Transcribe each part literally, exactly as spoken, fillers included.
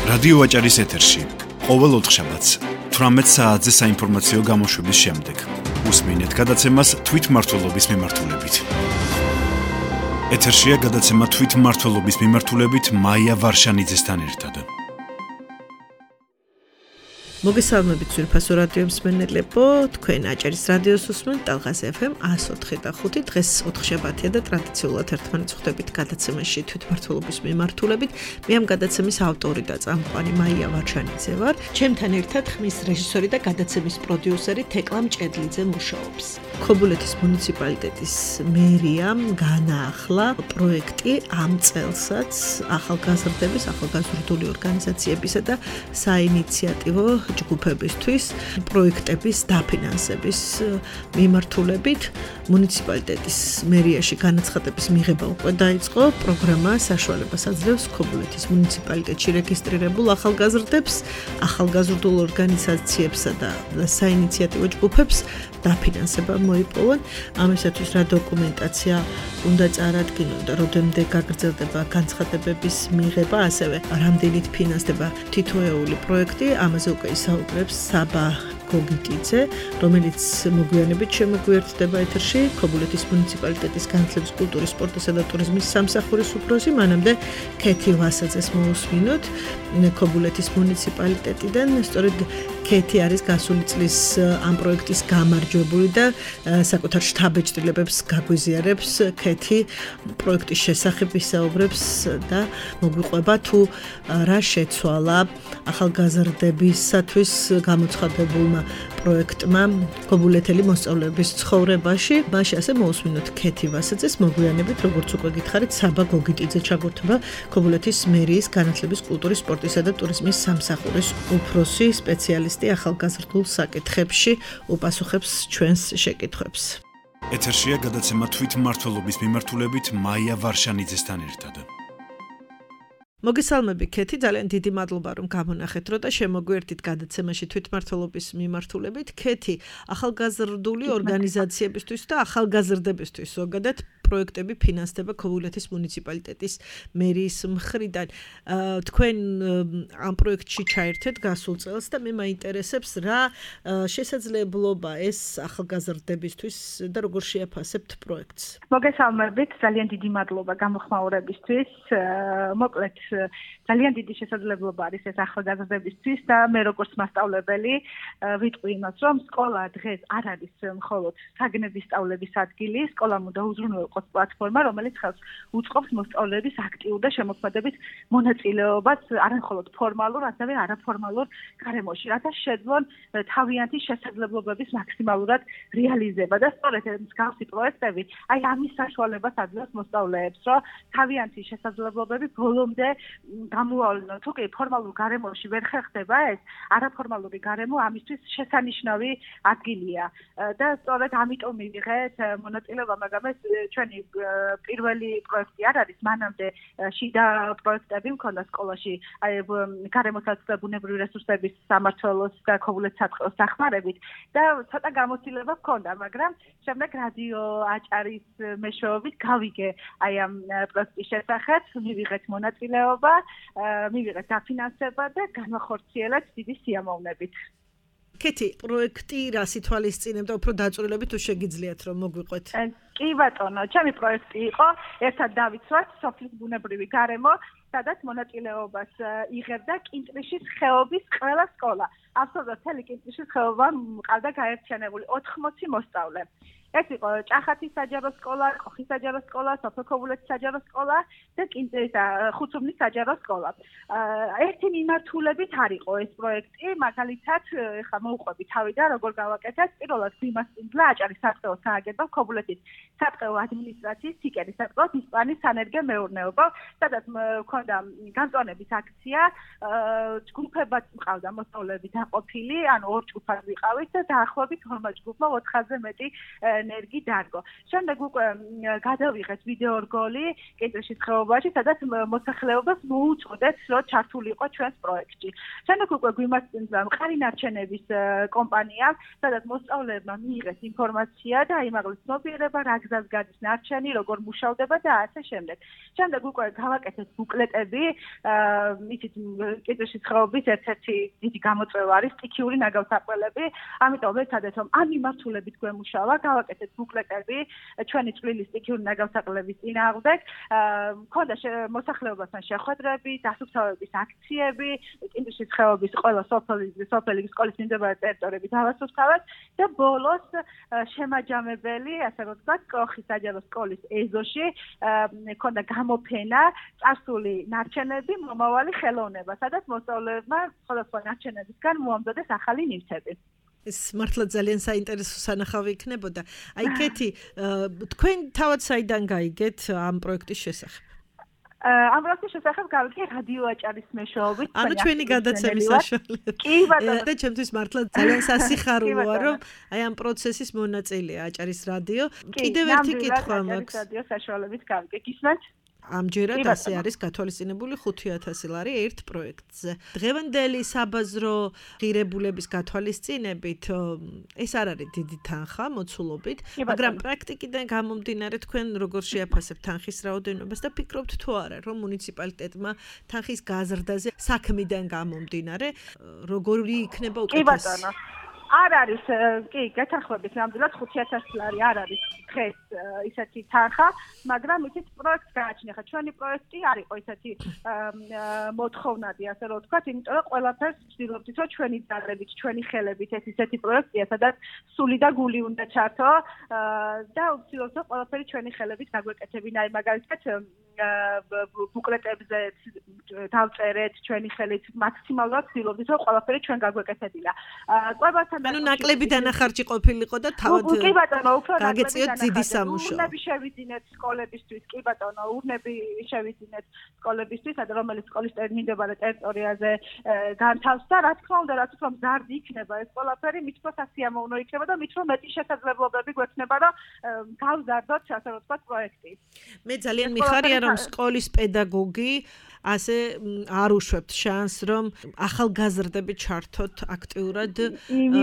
რადიო აჭარის ეთერში ყოველ ოთხშაბათს თვრამეტ საათზე საინფორმაციო გამოშვების შემდეგ უსმინეთ გადაცემას თვითმმართველობის მიმართულებით. ეთერშია გადაცემა თვითმმართველობის მიმართულებით მაია ვარშანიძესთან ერთად. მოგესალმებით ძვირფასო რადიო მსმენელებო, თქვენ აჭარის რადიოს უსმენთ ტალღას ეფ ემ εκατო ოთხი და ხუთი. დღეს ოთხშაბათია და ტრადიციულად ერთმანეთს ხვდებით გადაცემაში თვითმმართველობის მიმართულებით. მე ამ გადაცემის ავტორი და წამყვანი მაია ვარშანიძე ვარ. ჩემთან ერთად ხმის რეჟისორი და გადაცემის პროდიუსერი თეკლა მჭედლიძე მუშაობს. ქობულეთის მუნიციპალიტეტის მერიამ განაახლა პროექტი ამ წელსაც ახალგაზრდების, ახალგაზრდული ორგანიზაციებისა და საინიციატივო ჯგუფებისთვის პროექტების დაფინანსების მიმართულებით მუნიციპალიტეტის მერიაში განაცხადების მიღება უკვე დაიწყო. პროგრამა საშუალებას აძლევს ქობულეთის მუნიციპალიტეტში რეგისტრირებულ ახალგაზრდებს, ახალგაზრდულ ორგანიზაციებსა და საინიციატივო ჯგუფებს დაფინანსება მოიპოვონ. ამისათვის რა დოკუმენტაცია უნდა წარადგინონ და რამდენამდე გაგრძელდება განცხადებების მიღება, ასევე რამდენით ფინანსდება თითოეული პროექტი, ამაზე უკვე ისაუბრებს საბა გოგიტიძე, რომელიც მოგვიანებით შემოგვიერთდება ეთერში, ქობულეთის მუნიციპალიტეტის განათლების, კულტურის, სპორტისა და ტურიზმის სამსახურის უფროსი. მანამდე ქეთი ვასაძეს მოусმინოთ ქობულეთის მუნიციპალიტეტიდან. სწორედ ქეთი არის გასული წლის ამ პროექტის გამარჯვებული და საკუთარ შთაბეჭდილებებს გაგვიზიარებს. ქეთი პროექტის შესახებ ისაუბრებს და მოგვიყვება თუ რა შეცვალა ახალგაზრდებისათვის გამოცხადებულმა პროექტმა ქობულეთელი მოსწავლეების ცხოვრებაში. მაშინ ასე მოусმინოთ ქეთი ვასაძეს, მოგვიანებით როგორც უკვე გითხარით, საბა გოგიტიძე ჩაგურთება ქობულეთის მერიის განათლების, კულტურის, სპორტისა და ტურიზმის სამსახურის უფროსი სპეციალისტი ახალგაზრდულ საკითხებში, უპასუხებს ჩვენს შეკითხვებს. ეთერშია გადაცემა თვითმმართველობის მიმართულებით მაია ვარშანიძესთან ერთად. მოგესალმები ქეთი, ძალიან დიდი მადლობა რომ გამონახეთ რო და შემოგვიერთით გადაცემაში თვითმმართველობის მიმართულებით. ქეთი, ახალგაზრდული ორგანიზაციებისთვის და ახალგაზრდებისთვის ზოგადად პროექტები ფინანსდება ქობულეთის მუნიციპალიტეტის მერიის მხრიდან. თქვენ ამ პროექტში ჩაერთეთ გასულ წელს და მე მაინტერესებს რა შესაძლებლობა ეს ახალგაზრდებისთვის და როგორ შეაფასებთ პროექტს. მოგესალმებით, ძალიან დიდი მადლობა გამოხმაურებისთვის. მოკლედ ძალიან დიდი შესაძლებლობა არის ეს ახალგაზრდებისთვის და მე როგორც მასწავლებელი ვიტყვი იმას, რომ სკოლა დღეს არ არის მხოლოდ საგნების სწავლების ადგილი, სკოლამ უნდა უზრუნველყოს პლატფორმა, რომელიც ხელს უწყობს მოსწავლეების აქტიურ და შემოქმედებით მონაწილეობას არამხოლოდ ფორმალურ, ასევე არაფორმალურ გარემოში, რათა შეძლონ თავიანთი შესაძლებლობების მაქსიმალურად რეალიზება და სწორედ მსგავსი პროექტები აი ამის საშუალებას აძლევს მოსწავლეებს, რომ თავიანთი შესაძლებლობები ბოლომდე გამოავლინონ. თუ კი ფორმალურ გარემოში ვერ ხერხდება ეს, არაფორმალური გარემო ამისთვის შესანიშნავი ადგილია და სწორედ ამიტომ მივიღეთ მონაწილეობა, მაგრამ ეს ჩვენი პირველი პროექტი არ არის. მანამდე შიდა პროექტები მქონდა სკოლაში, აი გარემოსაც ბუნებრივი რესურსების სამმართველოს და ქობულეთის საწყოს დახმარებით და ცოტა გამოცდილება მქონდა, მაგრამ შემდეგ რადიო აჭარის მეშვეობით გავიგე აი ამ პროექტის შესახებ, მივიღეთ მონაწილეობა, მივიღეთ დაფინანსება და განვახორციელეთ დიდი სიამოვნებით. ქეთი, პროექტი რას ითვალისწინებდა, უფრო დაწვრილებით თუ შეგიძლიათ რომ მოგვიყვეთ? კი ბატონო, ჩემი პროექტი იყო ერთად დავიცვათ სოფლის ბუნებრივი გარემო, სადაც მონაწილეობას იღებდა კინტრიშის ხეობის ყველა სკოლა. აბსოლუტურად მთელი კინტრიშის ხეობა მყავდა გაერთიანებული ოთხმოცი მოსწავლე. ეს იყო ჭახათის საჯარო სკოლა, კოხის საჯარო სკოლა, სოფელ ქობულეთის საჯარო სკოლა და ხუთსუბნის საჯარო სკოლა. ერთი მიმართულებით არ იყო ეს პროექტი, მაგალითად, ხა მოუყვები თავი და როგორ გავაკეთეთ, პირველად გვიმასპინძლა აჭარის სატყეო სააგენტო, ქობულეთის სატყეო ადმინისტრაციის სიკერის სატყეო ისპანის სანერგე მეურნეობა, სადაც მქონდა განწონების აქცია, ჯგუფებად მყავდა მოსწავლეები დაყოფილი, ანუ ორ ჯგუფად ვიყავით და დაახლოებით ორმოც ჯგუფმა ოთხზე მეტი ენერგი დარგო. შემდეგ უკვე გადავიღეთ ვიდეო რგოლი კენჭისყრის ხეობაში, სადაც მოსახლეობას მოუწოდეთ, რომ ჩართულიყო ჩვენს პროექტში. შემდეგ უკვე გვიმართლა მყარი ნარჩენების კომპანია, სადაც მოსწავლეებმა მიიღეს ინფორმაცია და აიმაღლეს ცნობიერება, რა გზას გადის ნარჩენი, როგორ მუშავდება და ასე შემდეგ. შემდეგ უკვე გავაკეთეთ ბუკლეტები, იცით, კენჭისყრის ხეობის ერთ-ერთი დიდი გამოწვევა არის სტიქიური ნაგავსაყრელები, ამიტომ ვეცადეთ, რომ ამ მიმართულებით გვემუშავა, გავაკეთეთ ბუკლეტები ჩვენი წვლილი სტიქიური ნაგავსაყრელების წინააღმდეგ, მქონდა მოსახლეობასთან შეხვედრები, დასუფთავების აქციები, კენჭისყრის ხეობის ყველა სოფელი სოფელი სკოლის მიმდებარე ტერიტორიები დავასუფთავეთ და ბოლოს შემაჯამებელი, ასე რომ ვთქვათ, კოხის საჯარო სკოლის ეზოში მქონდა გამოფენა წარსული ნარჩენები, მომავალი ხელოვნება, სადაც მოსწავლეებმა სხვადასხვა ნარჩენებისგან მოამზადეს ახალი ნივთები. ეს მართლა ძალიან საინტერესო სანახავი იქნებოდა. აი, კეთი, თქვენ თავად საიდან გაიგეთ ამ პროექტის შესახებ? ამ პროექტის შესახებ გავიგე რადიო აჭარის მეშვეობით. ანუ ჩვენი გადაცემის საშუალებით. კი ბატონო. და ჩემთვის მართლა ძალიან სასიხარულოა, რომ აი ამ პროცესის მონაწილეა აჭარის რადიო. კიდევ ერთი კითხვა მაქვს. რადიო საშუალებით გავიგე. გისმენთ? ამჯერად ასე არის გათვალისწინებული ხუთი ათასი ლარი ერთ პროექტზე. დღევანდელი საბაზრო ღირებულების გათვალისწინებით ეს არ არის დიდი თანხა მოცულობით, მაგრამ პრაქტიკიდან გამომდინარე თქვენ როგორ შეაფასებთ თანხის რაოდენობას და ფიქრობთ თუ არა, რომ მუნიციპალიტეტმა თანხის გაზრდაზე საქმიდან გამომდინარე როგორი იქნება უკეთესი? კი ბატონო. არ არის, კი, გეთანხმებით, ნამდვილად ხუთი ათასი ლარი არ არის დღეს ისეთი თანხა, მაგრამ იცით პროექტს გააჩნია. ხა ჩვენი პროექტი არ იყო ისეთი მოთხოვნადი, ასე რომ ვთქვათ, იმიტომ რომ ყველაფერს ვცდილობთ, რომ ჩვენი ძალებით, ჩვენი ხელებით ეს ისეთი პროექტია, სადაც სული და გული უნდა ჩართო და ვცდილობთ, რომ ყველაფერი ჩვენი ხელებით გაგვეკეთებინა. აი მაგალითად ბუკლეტებზე დავწერეთ ჩვენი ხელით მაქსიმალურად ვცდილობთ, რომ ყველაფერი ჩვენ გაგვეკეთებინა. ყვებასთან ანუ ნაკლები დანახარჯი ყოფილიყო და თავად კი ბატონო, უფრო გაგეწიოთ დიდი სამუშაო. ურნები შევიძინეთ სკოლებისთვის, კი ბატონო, ურნები შევიძინეთ სკოლებისთვის, რომელიც სკოლის მინდებარე ტერიტორიაზე განთავს და რა თქმა უნდა, რაც უფრო მზარდი იქნება ეს ყველაფერი, მით უფრო სასიამოვნო იქნება და მით უფრო მეტი შესაძლებლობები გვექნება, რომ გავზარდოთ, ასე რომ ვთქვათ, პროექტი. მე ძალიან მიხარია, რომ სკოლის პედაგოგი ასე არ უშვებთ შანსს, რომ ახალგაზრდები ჩართოთ აქტიურად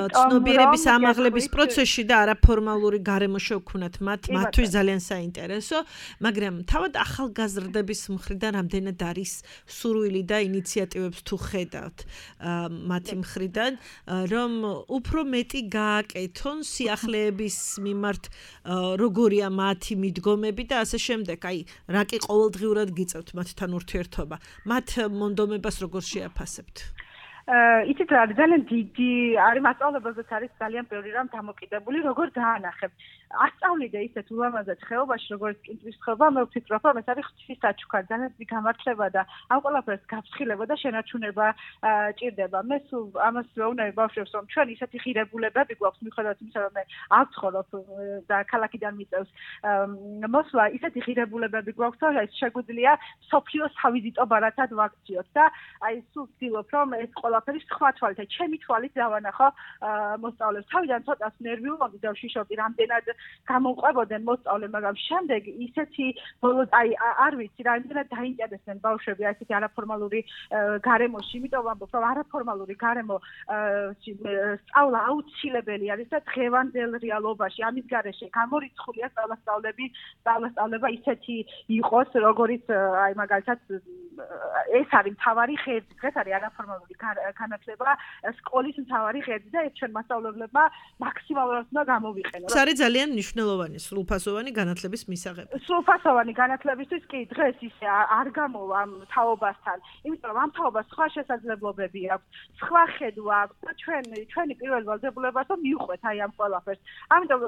ცნობიერების ამაღლების პროცესში და არაფორმალური გარემო შევქმნათ მათ, მათთვის ძალიან საინტერესო, მაგრამ თავად ახალგაზრდების მხრიდან რამდენად არის სურვილი და ინიციატივებს თუ ხედავთ მათი მხრიდან, რომ უფრო მეტი გააკეთონ სიახლეების მიმართ, როგორია მათი მიდგომები და ასე შემდეგ. აი, რა კი ყოველდღიურად გიწევთ მათთან ურთიერთობა, მათ მონდომებას როგორ შეაფასებთ? იცით რა არის ძალიან დიდი არის მასწავლებელზეც არის ძალიან ბევრი რამ დამოკიდებული როგორ დაანახებთ ასწავლიდე ისეთ ულამაზად ხეობაში როგორც კინტვის ხეობა მე ვფიქრობ რომ ეს არის ღვთის საჩუქარი ძალიან დიდი გამართლება და ამ ყველაფერს გაფრთხილება და შენარჩუნება ჭირდება მე სულ ამას ვეუბნები ბავშვებს რომ ჩვენ ისეთი ღირებულებები გვაქვს მიუხედავად იმისა რომ მე არ ვცხოვრობ და ქალაქიდან მიწევს მოსვლა ისეთი ღირებულებები გვაქვს რომ ეს შეგვიძლია სოფლიოს თავიზიტო ბარათად ვაქციოთ და აი სულ ვცდილობ რომ ეს ყველაფერი სხვა თვალით ჩემი თვალით დავანახო მოსწავლებს თავიდან ცოტას ნერვიულობდი და ვშიშობდი რამდენად გამომყვებოდნენ მოსწავლე მაგრამ შემდეგ ისეთი ბოლოს აი არ ვიცი რამდენად დაინტერესდნენ ბავშვები აი ესეთი არაფორმალური გარემოში იმიტომ ვამბობ რომ არაფორმალური გარემო სწავლა აუცილებელი არის და დღევანდელ რეალობაში ამის გარეშე გამორიცხულია სწავლასწავლები სწავლასწავლება ისეთი იყოს როგორიც აი მაგალითად ეს არის მთავარი ღერძი დღეს არის არაფორმალური განათლება სკოლის მთავარი ღერძი და ეს ჩვენ მასწავლებლებმა მაქსიმალურად უნდა გამოვიყენოთ. ეს არის ძალიან მნიშვნელოვანი სრულფასოვანი განათლების მისაღები. სრულფასოვანი განათლებისთვის კი დღეს ისე არ გამოვა ამ თაობასთან, იმიტომ რომ ამ თაობას სხვა შესაძლებლობები აქვს, სხვა ხედვა აქვს და ჩვენ ჩვენი პირველი ვალდებულებაა რომ მიუყვეთ აი ამ ყველაფერს. ამიტომ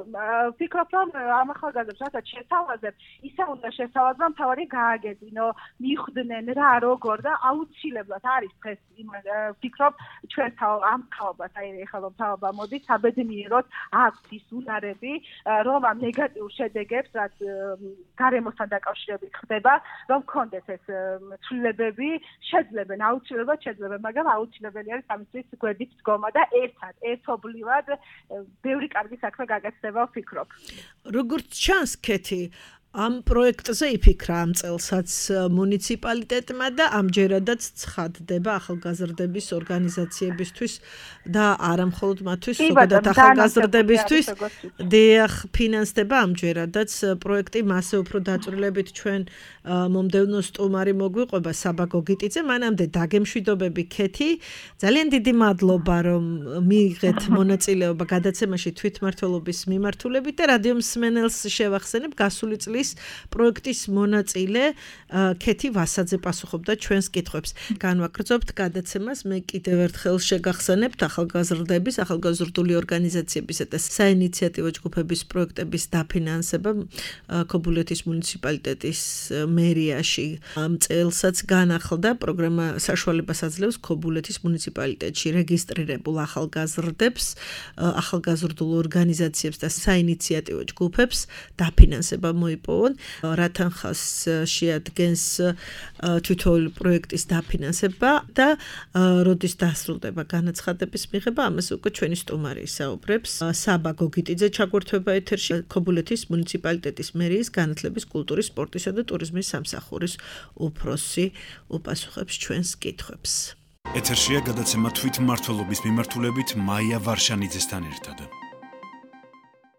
ვფიქრობ რომ ამ ახალგაზრდებს რასაც შესთავაზებ, ისე უნდა შესთავაზო რომ თავარი გააგებინო, მიხვდნენ რა როგორ და აუცილებლად არის დღეს ვფიქრობ ჩვენ ამ თაობას აი ეხლა რომ თაობა მოდის საბედნიეროდ აქვს ის უნარები რომ ამ ნეგატიურ შედეგებს, რაც გარემოსთან დაკავშირებით ხდება, რომ კონდეს ეს ცვლილებები, შეძლებენ, აუცილებლად შეძლებენ, მაგრამ აუცილებელი არის ამისთვის გვერდით დგომა და ერთად, ერთობლივად ბევრი კარგი საქმე გაგაცდება ვფიქრობ. როგორც ჩანს, კეთი, ამ პროექტზე იფიქრა ამ წელსაც მუნიციპალიტეტმა და ამჯერადაც ცხადდება ახალგაზრდების ორგანიზაციებისთვის და არა მხოლოდ მათთვის, ზოგადად ახალგაზრდებისთვის დიახ ფინანსდება ამჯერადაც პროექტი მასე უფრო დაწვრილებით ჩვენ მომდევნო სტუმარი მოგვიყვება საბა გოგიტიძე, მანამდე დაგემშვიდობები კეთი, ძალიან დიდი მადლობა რომ მიიღეთ მონაწილეობა გადაცემაში თვითმმართველობის მიმართულებით და რადიო მსმენელს შევახსენებ გასული წლის პროექტის მონაწილე კეთი ვასაძე პასუხობდა ჩვენს კითხვებს. განვაგრძობთ გადაცემას, მე კიდევ ერთხელ შეგახსენებთ ახალგაზრდების, ახალგაზრდული ორგანიზაციებისა და საინიციატივო ჯგუფების პროექტების დაფინანსება ქობულეთის მუნიციპალიტეტის მერიაში. ამ წელსაც განახლდა პროგრამა საშუალებას აძლევს ქობულეთის მუნიციპალიტეტში რეგისტრირებულ ახალგაზრდებს, ახალგაზრდულ ორგანიზაციებს და საინიციატივო ჯგუფებს დაფინანსება მოიპოვა. რა თანხას შეადგენს თითოეული პროექტის დაფინანსება და როდის დასრულდება განაცხადების მიღება, ამას უკვე ჩვენი სტუმარი ისაუბრებს. საბა გოგიტიძე ჩაგვერთვება ეთერში, ქობულეთის მუნიციპალიტეტის მერიის განათლების, კულტურის, სპორტისა და ტურიზმის სამსახურის უფროსი უპასუხებს ჩვენს კითხვებს. ეთერშია გადაცემა თვითმმართველობის მიმართულებით მაია ვარშანიძესთან ერთად.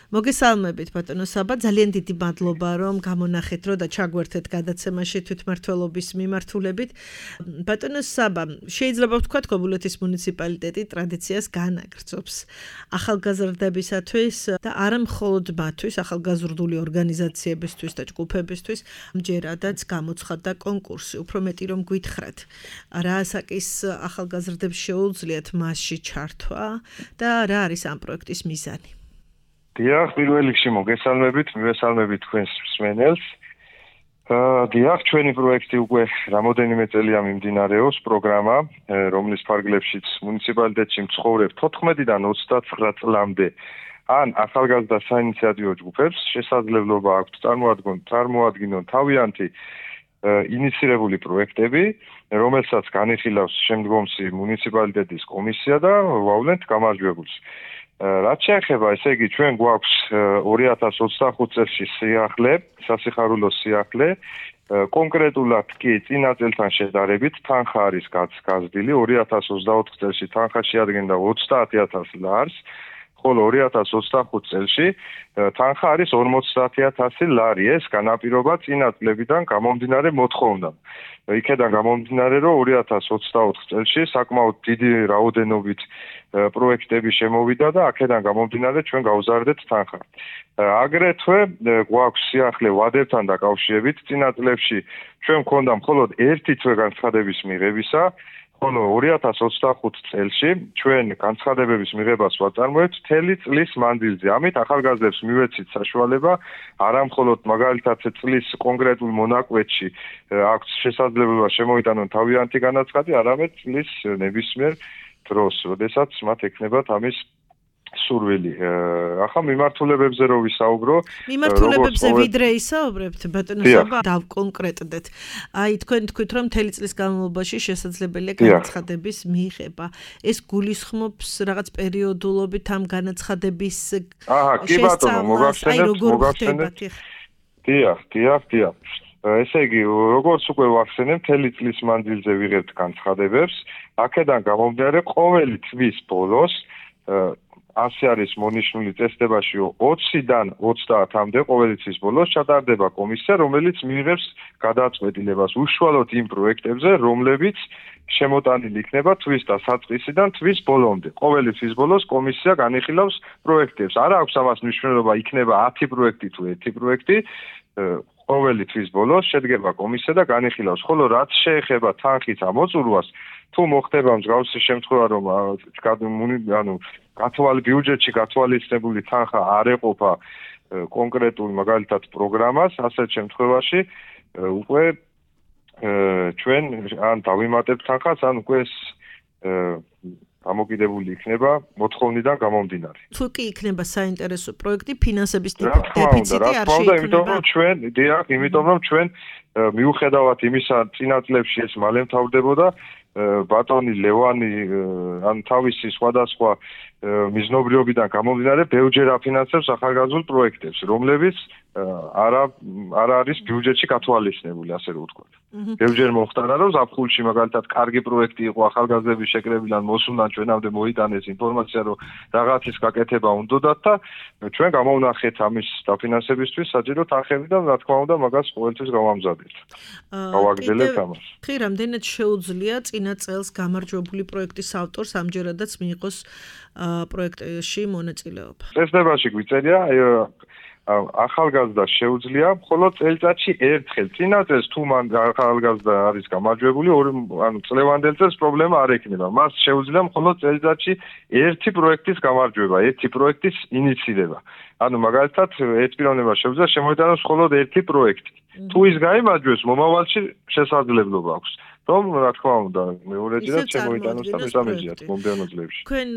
მოგესალმებით ბატონო საბა, ძალიან დიდი მადლობა რომ გამონახეთ რო და ჩაგვერთეთ გადაცემაში თვითმმართველობის მიმართულებით. ბატონო საბა, შეიძლება ვთქვათ ქობულეთის მუნიციპალიტეტი ტრადიციას განაგრძობს ახალგაზრდებისათვის და არა მხოლოდ მათთვის, ახალგაზრდული ორგანიზაციებისთვის და ჯგუფებისთვის, ამჯერადაც გამოცხადდა კონკურსი, უფრო მეტი რომ გითხრათ. რა ასაკის ახალგაზრდებს შეუძლიათ მასში ჩართვა და რა არის ამ პროექტის მიზანი? დიახ, პირველ რიგში მოგესალმებით, მივესალმებით თქვენს მსმენელს. დიახ, ჩვენი პროექტი უკვე რამოდენიმე წელია მიმდინარეობს, პროგრამა, რომლის ფარგლებშიც მუნიციპალიტეტში მცხოვრებ თოთხმეტიდან ოცდათვრამეტ წლამდე ან ახალგაზრდა საინიციატივო ჯგუფებს შესაძლებლობა აქვთ წარმოადგონ წარმოადგინონ თავიანთი ინიცირებული პროექტები, რომელსაც განიხილავს შემდგომში მუნიციპალიტეტის კომისია და ვავლენთ გამარჯვებულს. რაც შეეხება, ესე იგი, ჩვენ გვაქვს ორი ათას ოცდახუთ წელში სიახლე, სასიხარულო სიახლე, კონკრეტულად კი წინა წელთან შედარებით თანხა არის გაზრდილი, ორი ათას ოცდაოთხ წელში თანხა შეადგენდა ოცდაათი ათას ლარს, ხოლო ორი ათას ოცდახუთ წელში თანხა არის ორმოცდაათი ათასი ლარი, ეს განაპირობა წინა წლებიდან გამომდინარე მოთხოვნამ. იქედან გამომდინარე, რომ ორი ათას ოცდაოთხ წელში საკმაოდ დიდი რაოდენობით პროექტები შემოვიდა და აქედან გამომდინარე ჩვენ გავზარდეთ თანხა. აგრეთვე გვაქვს სიახლე ვადებთან დაკავშირებით, წინა წლებში ჩვენ მქონდა მხოლოდ ერთი თვე განცხადების მიღებისა, ხოლო ორი ათას ოცდახუთ წელში ჩვენ განცხადებების მიღებას ვაწარმოებთ მთელი წლის მანძილზე. ამით ახალგაზრდებს მივეცით საშუალება არა მხოლოდ მაგალითად წლის კონკრეტულ მონაკვეთში აქვს შესაძლებლობა შემოიტანონ თავიანთი განაცხადი, არამედ წლის ნებისმიერ დროს, როდესაც მათ ექნებათ ამის სურვილი. ახლა მიმართულებებზე რო ვისაუბრო, მიმართულებებზე ვიდრე ისაუბრებთ, ბატონო საბა, დავკონკრეტდეთ. აი, თქვენ თქვით, რომ მთელი წლის განმავლობაში შესაძლებელია განაცხადების მიღება. ეს გულისხმობს რაღაც პერიოდულობით ამ განაცხადების აჰა, კი ბატონო, მოგახსენებთ, მოგახსენებთ. დიახ, დიახ, დიახ. ესე იგი, როგორც უკვე ვახსენებ, მთელი წლის მანძილზე ვიღებთ განცხადებებს. აქედან გამომდინარე, ყოველი თვის ბოლოს ასე არის მონიშნული წესდებაში ოცდან ოცდაათამდე ყოველი თვის ბოლოს ჩატარდება კომისია, რომელიც მიიღებს გადაწყვეტილებას უშუალოდ იმ პროექტებზე, რომლებიც შემოტანილი იქნება თვის დასაწყისიდან თვის ბოლომდე. ყოველი თვის ბოლოს კომისია განიხილავს პროექტებს. არა აქვს ამას მნიშვნელობა, იქნება ათი პროექტი თუ ერთი პროექტი. ყოველი თვის ბოლოს შედგება კომისია და განიხილავს. ხოლო რაც შეეხება თანხის ამოწურვას, თუ მოხდება მსგავსი შემთხვევა, რომ ანუ გათვალ ბიუჯეტში გათვალისწინებული თანხა არ ეყოფა კონკრეტულ მაგალითად პროგრამას, ასეთ შემთხვევაში უკვე ჩვენ ან დავიმატებთ თანხას, ან უკვე გამოკიდებული იქნება მოთხოვნიდან გამომდინარე. თუ კი იქნება საინტერესო პროექტი, ფინანსების დეფიციტი არ შეიქმნება. იმიტომ რომ ჩვენ, დიახ, იმიტომ რომ ჩვენ მიუხედავად იმისა, წინა წლებში ეს მალე მთავრდებოდა, ბატონი ლევანი ან თავისი სხვადასხვა მიზნობრიობიდან გამომდინარე ბევრჯერ აფინანსებს ახალგაზრდულ პროექტებს, რომლებიც არა არ არის ბიუჯეტში გათვალისწინებული, ასე რომ ვთქვათ. ბევრჯერ მოხდარა, რომ ზაფხულში მაგალითად კარგი პროექტი იყო ახალგაზრდების შეკრებიდან მოსულან ჩვენამდე მოიტანეს ინფორმაცია, რომ რაღაცის გაკეთება უნდათ და ჩვენ გამოვნახეთ ამის დაფინანსებისთვის საჭირო თანხები და რა თქმა უნდა მაგას ყოველთვის გავამზადებთ. გავაგრძელებთ ამას. ხი რამდენად შეუძლია წინა წელს გამარჯვებული პროექტის ავტორს ამჯერადაც მიიღოს პროექტში მონაწილეობა. წესდებაში გვიწერია ახალგაზრდა შეუძლია მხოლოდ წელიწადში ერთხელ. წინა წელს თუ მან ახალგაზრდა არის გამარჯვებული, ანუ წლევანდელ წელს პრობლემა არ ექნება. მას შეუძლია მხოლოდ წელიწადში ერთი პროექტის გამარჯვება, ერთი პროექტის ინიცირება. ანუ მაგალითად ერთ პიროვნებას შეუძლია შემოიტანოს მხოლოდ ერთი პროექტი. თუ ის გაიმარჯვებს, მომავალში შესაძლებლობა აქვს. რომ რა თქმა უნდა მეორეჯერაც შემოიტანოს და მესამეჯერაც მომდევნო წლებში. თქვენ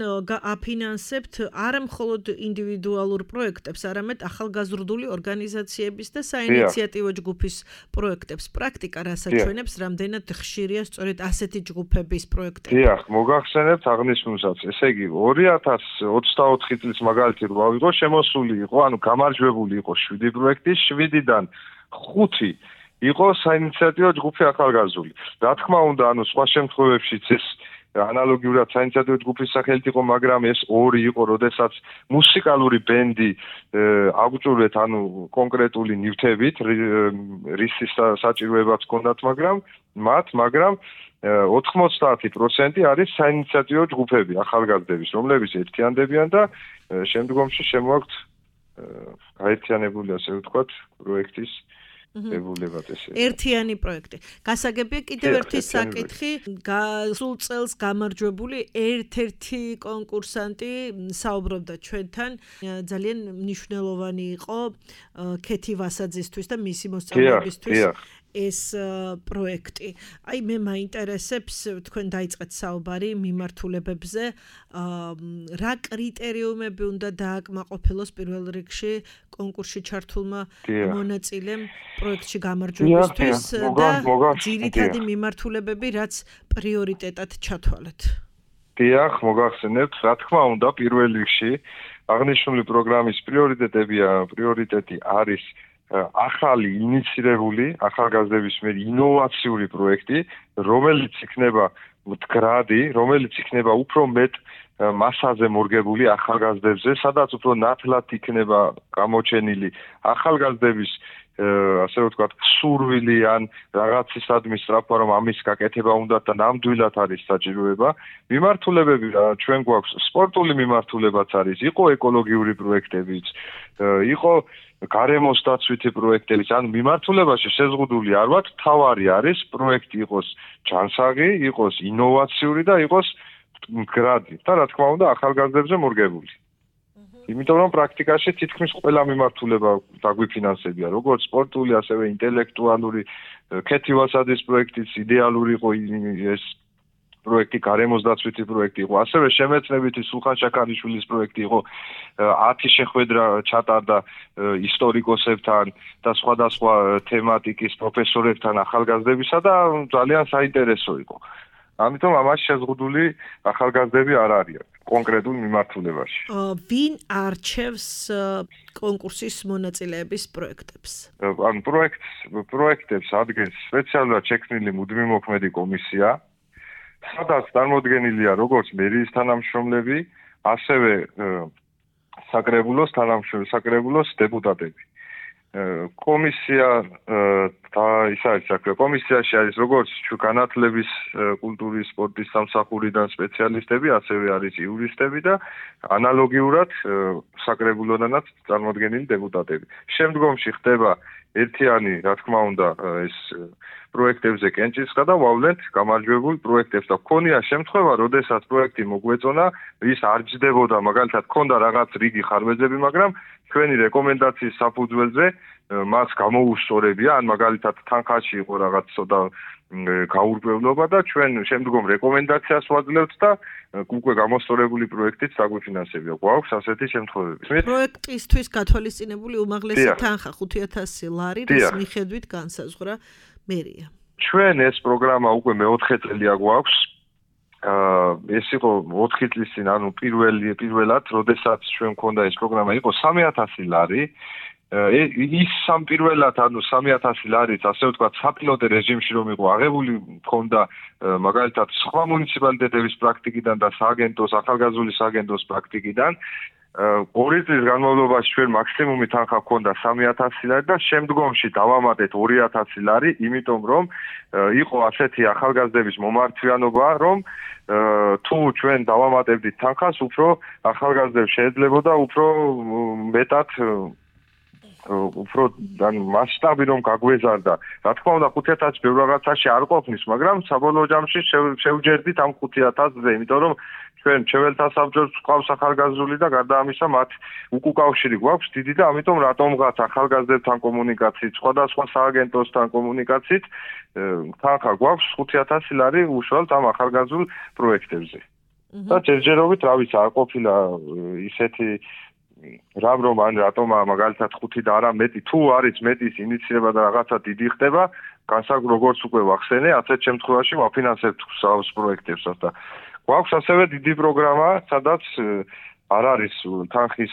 აფინანსებთ არა მხოლოდ ინდივიდუალურ პროექტებს, არამედ ახალგაზრდული ორგანიზაციების და საინიციატივო ჯგუფის პროექტებს. პრაქტიკა რას აჩვენებს, რამდენად ხშირია სწორედ ასეთი ჯგუფების პროექტები? დიახ, მოგახსენებთ აღნიშნულსაც. ესე იგი ორი ათას ოცდაოთხი წლის მაგალითი რა ვიყო, შემოსული იყო, ანუ გამარჯვებული იყო შვიდი პროექტი, შვიდიდან ხუთი იყო საინიციატივო ჯგუფი ახალგაზრდული. რა თქმა უნდა, ანუ სხვა შემთხვევებშიც ეს ანალოგიურად საინიციატივო ჯგუფის სახელით იყო, მაგრამ ეს ორი იყო, როდესაც მუსიკალური ბენდი აგწურეთ, ანუ კონკრეტული ნივთებით, რისის საჭიროებაც ჰქონდათ, მაგრამ მათ, მაგრამ ოთხმოცდაათი პროცენტი არის საინიციატივო ჯგუფები ახალგაზრდების, რომლებიც ერთიანდებიან და შემდგომში შემოაქვთ გაერთიანებული, ასე ვთქვათ, პროექტის ებულებად ესე. ერთიანი პროექტი. გასაგებია კიდევ ერთი საკითხი, სულ წელს გამარჯვებული ერთ-ერთი კონკურსანტი საუბრობდა ჩვენთან, ძალიან მნიშვნელოვანი იყო ქეთი ვასაძისთვის და მისი მოსწავლეებისთვის. ეს პროექტი. აი მე მაინტერესებს, თქვენ დაიწყეთ საუბარი მიმართულებებზე, რა კრიტერიუმები უნდა დააკმაყოფილოს პირველ რიგში კონკურსში ჩართულმა მონაწილემ პროექტში გამარჯვებისთვის და ძირითადი მიმართულებები, რაც პრიორიტეტად ჩათვალეთ. დიახ, მოგახსენებთ, რა თქმა უნდა, პირველ რიგში აღნიშნული პროგრამის პრიორიტეტებია, პრიორიტეტი არის ახალი ინიცირებული ახალგაზრდების მიერ ინოვაციური პროექტი, რომელიც იქნება მდგრადი, რომელიც იქნება უფრო მეტ მასაზე მორგებული ახალგაზრდებზე, სადაც უფრო ნათლად იქნება გამოჩენილი ახალგაზრდების ასე ვთქვათ, სურვილი ან რაღაცისადმი სწრაფვა, რომ ამის გაკეთება უნდა და ნამდვილად არის საჭიროება. მიმართულებები ჩვენ გვაქვს სპორტული მიმართულებაც არის, იყო ეკოლოგიური პროექტებიც, იყო გარემოს დაცვითი პროექტებიც, ანუ მიმართულებაში შეზღუდული არ ვართ, თავარი არის პროექტი იყოს ჯანსაღი, იყოს ინოვაციური და იყოს მდგრადი და რა თქმა უნდა ახალგაზრდებზე მორგებული. იმიტომ რომ პრაქტიკაში თითქმის ყველა მიმართულება დაგვიფინანსებია, როგორც სპორტული, ასევე ინტელექტუალური, ქეთი ვასაძის პროექტიც იდეალური იყო ეს პროექტი, გარემოს დაცვითი პროექტი იყო, ასევე შემეცნებითი სულხან შაქარიშვილის პროექტი იყო, ათი შეხვედრა ჩატარდა ისტორიკოსებთან და სხვადასხვა თემატიკის პროფესორებთან ახალგაზრდებისა და ძალიან საინტერესო იყო. ამიტომ ამას შეზღუდული ახალგაზრდები არ არიან კონკრეტულ მიმართულებაში. ვინ არჩევს კონკურსის მონაწილეების პროექტებს? ანუ პროექტს პროექტებს ადგენს სპეციალურად შექმნილი მუდმივმოქმედი კომისია, სადაც წარმოდგენილია როგორც მერიის თანამშრომლები, ასევე საკრებულოს თანამშრომლები, საკრებულოს დეპუტატები. კომისია და ის არის საქმე. კომისიაში არის როგორც განათლების, კულტურის, სპორტის სამსახურიდან სპეციალისტები, ასევე არის იურისტები და ანალოგიურად საკრებულოდანაც წარმოდგენილი დეპუტატები. შემდგომში ხდება ერთიანი, რა თქმა უნდა, ეს პროექტებზე კენჭისყრა და ვავლენთ გამარჯვებულ პროექტებს და ქონია შემთხვევა, როდესაც პროექტი მოგვეწონა, ის არ ჯდებოდა, მაგალითად, ქონდა რაღაც რიგი ხარვეზები, მაგრამ ჩვენი რეკომენდაციის საფუძველზე მას გამოუსწორებია, ან მაგალითად თანხაში იყო რაღაც ცოტა გაურკვევლობა და ჩვენ შემდგომ რეკომენდაციას ვაძლევთ და უკვე გამოსწორებული პროექტით დაგვიფინანსებია. გვაქვს ასეთი შემთხვევები. პროექტისთვის გათვალისწინებული უმაღლესი თანხა ხუთი ათასი ლარი, რის მიხედვით განსაზღვრა მერია. ჩვენ ეს პროგრამა უკვე მეოთხე წელია გვაქვს. აა ეს იყო ოთხი წლის წინ, ანუ პირველი პირველად, როდესაც ჩვენ მქონდა ეს პროგრამა, იყო სამი ათასი ლარი. ის სამ პირველად, ანუ სამი ათასი ლარიც, ასე ვთქვათ, საპილოტე რეჟიმში რომ იყო აღებული, მქონდა მაგალითად სხვა მუნიციპალიტეტების პრაქტიკიდან და სააგენტოს, ახალგაზრდული სააგენტოს პრაქტიკიდან. ორი წლის განმავლობაში ჩვენ მაქსიმუმი თანხა ჰქონდა სამი ათასი ლარი და შემდგომში დავამატეთ ორი ათასი ლარი, იმიტომ რომ იყო ასეთი ახალგაზრდების მომართვიანობა, რომ თუ ჩვენ დავამატებდით თანხას, უფრო ახალგაზრდებს შეეძლებოდა უფრო მეტად უფრო ანუ მასშტაბი რომ გაგვეზარდა. რა თქმა უნდა ხუთი ათასი ბევრ რაღაცაში არ ყოფნის, მაგრამ საბოლოო ჯამში შევჯერდით ამ ხუთი ათასზე, იმიტომ რომ ჩვენ ჩვენთა საბჭოს ყავს ახალგაზრდული და გარდა ამისა მათ უკუკავშირი გვაქვს დიდი და ამიტომ რატომღაც ახალგაზრდებთან კომუნიკაციით, სხვადასხვა სააგენტოსთან კომუნიკაციით თანხა გვაქვს ხუთი ათასი ლარი უშუალოდ ამ ახალგაზრდულ პროექტებზე. და ჯერჯერობით რა ვიცი, არ ყოფილა ისეთი რამ რომ ან რატომა მაგალითად ხუთი და არა მეტი, თუ არის მეტის ინიციირება და რაღაცა დიდი ხდება, განსაკუთრებით როგორც უკვე ვახსენე, ასეთ შემთხვევაში ვაფინანსებთ სავს პროექტებსაც და გვაქვს ასევე დიდი პროგრამა, სადაც არ არის თანხის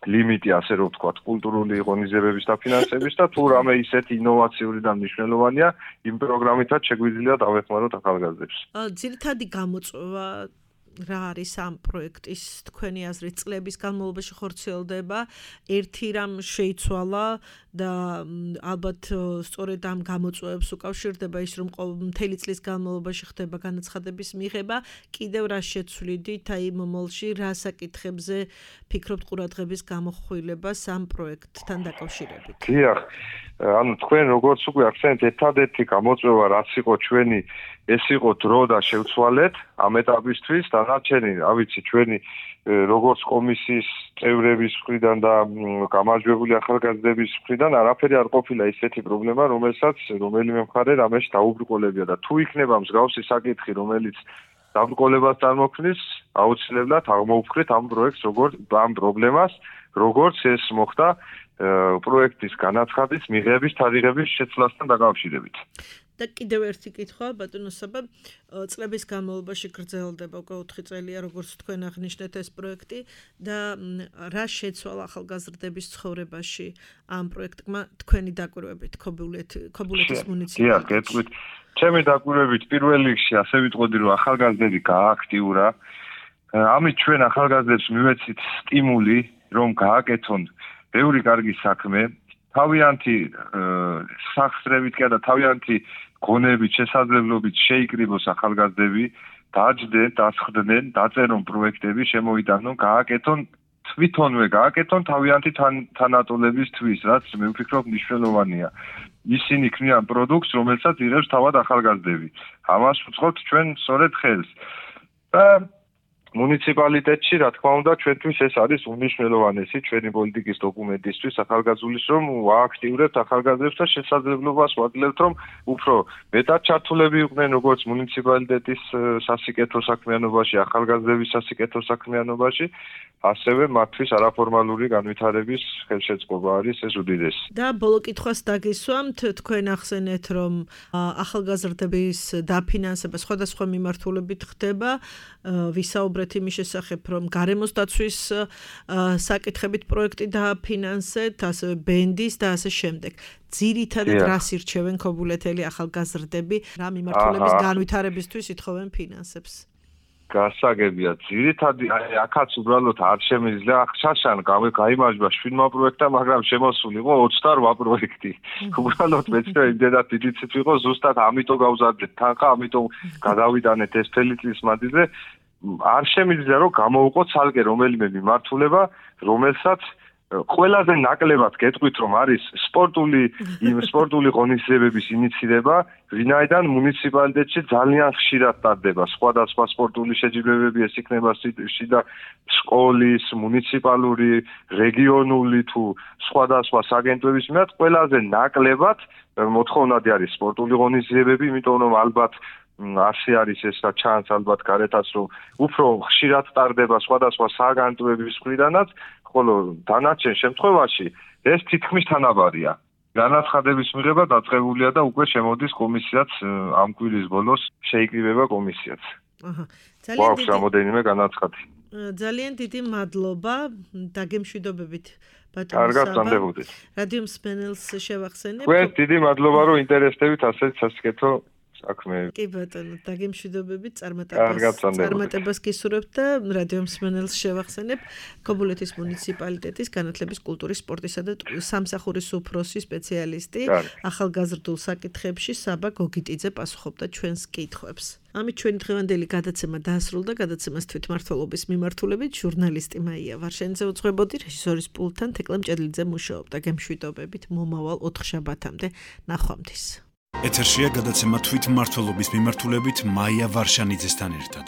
ლიმიტი, ასე რომ ვთქვათ, კულტურული ღონისძიებების დაფინანსების და თუ რამე ისეთი ინოვაციური და მნიშვნელოვანია, იმ პროგრამითაც შეგვიძლია დავეხმაროთ ახალგაზრდებს. ძირითადი გამოწვევა რა არის ამ პროექტის თქვენი აზრით წლების განმავლობაში ხორციელდება? ერთი რამ შეიცვალა და ალბათ სწორედ ამ გამოწვევებს უკავშირდება ის, რომ მთელი წლის განმავლობაში ხდება განაცხადების მიღება, კიდევ რა შეცვლიდით აი მომავალში, რა საკითხებზე ფიქრობთ ყურადღების გამოხვილებას ამ პროექტთან დაკავშირებით? დიახ, ანუ თქვენ როგორც უკვე ახსენეთ, ერთადერთი გამოწვევა რაც იყო ჩვენი, ეს იყო დრო და შევცვალეთ ამ ეტაპისთვის, დანარჩენი, რა ვიცი, ჩვენი როგორც კომისიის წევრების მხრიდან და გამარჯვებული ახალგაზრდების მხრიდან არაფერი არ ყოფილა ისეთი პრობლემა, რომელსაც რომელიმე მხარე რამეში დაუბრკოლებია და თუ იქნება მსგავსი საკითხი, რომელიც დაბრკოლებას წარმოქმნის, აუცილებლად აღმოვფხრით ამ პროექტს, როგორც ამ პრობლემას, როგორც ეს მოხდა პროექტის განაცხადის მიღების თარიღების შეცვლასთან დაკავშირებით. და კიდევ ერთი კითხვა, ბატონო საბა, წლების განმავლობაში გრძელდება უკვე ოთხი წელია, როგორც თქვენ აღნიშნეთ ეს პროექტი და რა შეცვალა ახალგაზრდების ცხოვრებაში ამ პროექტმა თქვენი დაკვირვებით ქობულეთის მუნიციპალიტეტში? დიახ, გეტყვით. ჩემი დაკვირვებით პირველ რიგში ასე ვიტყოდი, რომ ახალგაზრდები გააქტიურა. ამით ჩვენ ახალგაზრდებს მივეცით სტიმული, რომ გააკეთონ ბევრი კარგი საქმე, თავიანთი სახსრებით კი და თავიანთი გონებით, შესაძლებლობით შეიკრიბოს ახალგაზრდები, დაჯდნენ, დასხდნენ, დაწერონ პროექტები, შემოიტანონ, გააკეთონ თვითონვე გააკეთონ თავიანთი თანატოლებისთვის, რაც მე ვფიქრობ მნიშვნელოვანია. ისინი ქმნიან პროდუქტს, რომელსაც იღებს თავად ახალგაზრდები. ამას ვუწყობთ ჩვენ სწორედ ხელს. და მუნიციპალიტეტში, რა თქმა უნდა, ჩვენთვის ეს არის უმნიშვნელოვანესი ჩვენი პოლიტიკის დოკუმენტისთვის, ახალგაზრდულის, რომ ვააქტიურებთ ახალგაზრდებს და შესაძლებლობას ვაძლევთ, რომ უფრო მეტად ჩართულები იყვნენ როგორც მუნიციპალიტეტის სასიკეთო საქმიანობაში, ახალგაზრდების სასიკეთო საქმიანობაში, ასევე მათთვის არაფორმალური განვითარების ხელშეწყობა არის ეს უდიდესი. და ბოლო კითხვას დაგისვამთ, თქვენ ახსენეთ, რომ ახალგაზრდების დაფინანსება სხვადასხვა მიმართულებით ხდება, ვისაუბრეთ იმის შესახებ, რომ გარემოს დაცვის საკითხებით პროექტი დააფინანსეთ, ასევე ბენდის და ასე შემდეგ. ძირითადად რას ირჩევენ ქობულეთელი ახალგაზრდები, რა მიმართულების განვითარებისთვის ითხოვენ ფინანსებს? გასაგებია, ძირითადი აქაც უბრალოდ არ შემიძლია შაშან გაიმარჯვა შვიდმა პროექტმა, მაგრამ შემოსული იყო ოცდაორ პროექტი. უბრალოდ მეცნე იმდენად დიდი ციფრი იყო, ზუსტად ამიტომ გავზარდეთ თანხა, ამიტომ გადავიტანეთ ეს მთელი წლის მანძილზე. არ შემიძლია რომ გამოვუყო ცალკე რომელიმე მიმართულება, რომელსაც ყველაზე ნაკლებად გეტყვით, რომ არის სპორტული იმ სპორტული ღონისძიებების ინიციირება, ვინაიდან მუნიციპალიტეტში ძალიან ხშირად ტარდება სხვადასხვა სპორტული შეჯიბრებები, ეს იქნება შიდა სკოლის, მუნიციპალური, რეგიონული თუ სხვადასხვა საგენტოების მიმართ ყველაზე ნაკლებად მოთხოვნადი არის სპორტული ღონისძიებები, იმიტომ რომ ალბათ ასე არის ეს და ჩანს ალბათ გარეთაც რომ უფრო ხშირად ტარდება სხვადასხვა საგანტოების მხრიდანაც, ხოლო დანარჩენ შემთხვევაში ეს თითქმის თანაბარია. განაცხადების მიღება დაწყებულია და უკვე შემოდის კომისიაც ამ კვირის ბოლოს შეიკრიბება კომისიაც. აჰა. ძალიან დიდი რამოდენიმე განაცხადი. ძალიან დიდი მადლობა დაგემშვიდობებით ბატონო. კარგად გამდებოდეთ. რადიო მსმენელს შევახსენებ. თქვენ დიდი მადლობა რომ ინტერესდებით ასეთ სასიკეთო საქმეები. კი ბატონო, დაგემშვიდობებით წარმატებას. წარმატებას გისურვებთ და რადიო მსმენელს შევახსენებ ქობულეთის მუნიციპალიტეტის განათლების, კულტურის, სპორტისა და სამსახურის უფროსი სპეციალისტი ახალგაზრდულ საკითხებში საბა გოგიტიძე პასუხობდა ჩვენს კითხვებს. ამით ჩვენი დღევანდელი გადაცემა დაასრულა. გადაცემას თვითმმართველობის მიმართულებით ჟურნალისტი მაია ვარშენიძე უძღვებოდი, რეჟისორის პულტთან თეკლე მჭედლიძე მუშაობდა. გემშვიდობებით მომავალ ოთხშაბათამდე. ნახვამდის. ეთერშია გადაცემა თვითმმართველობის მიმართულებით მაია ვარშანიძესთან ერთად.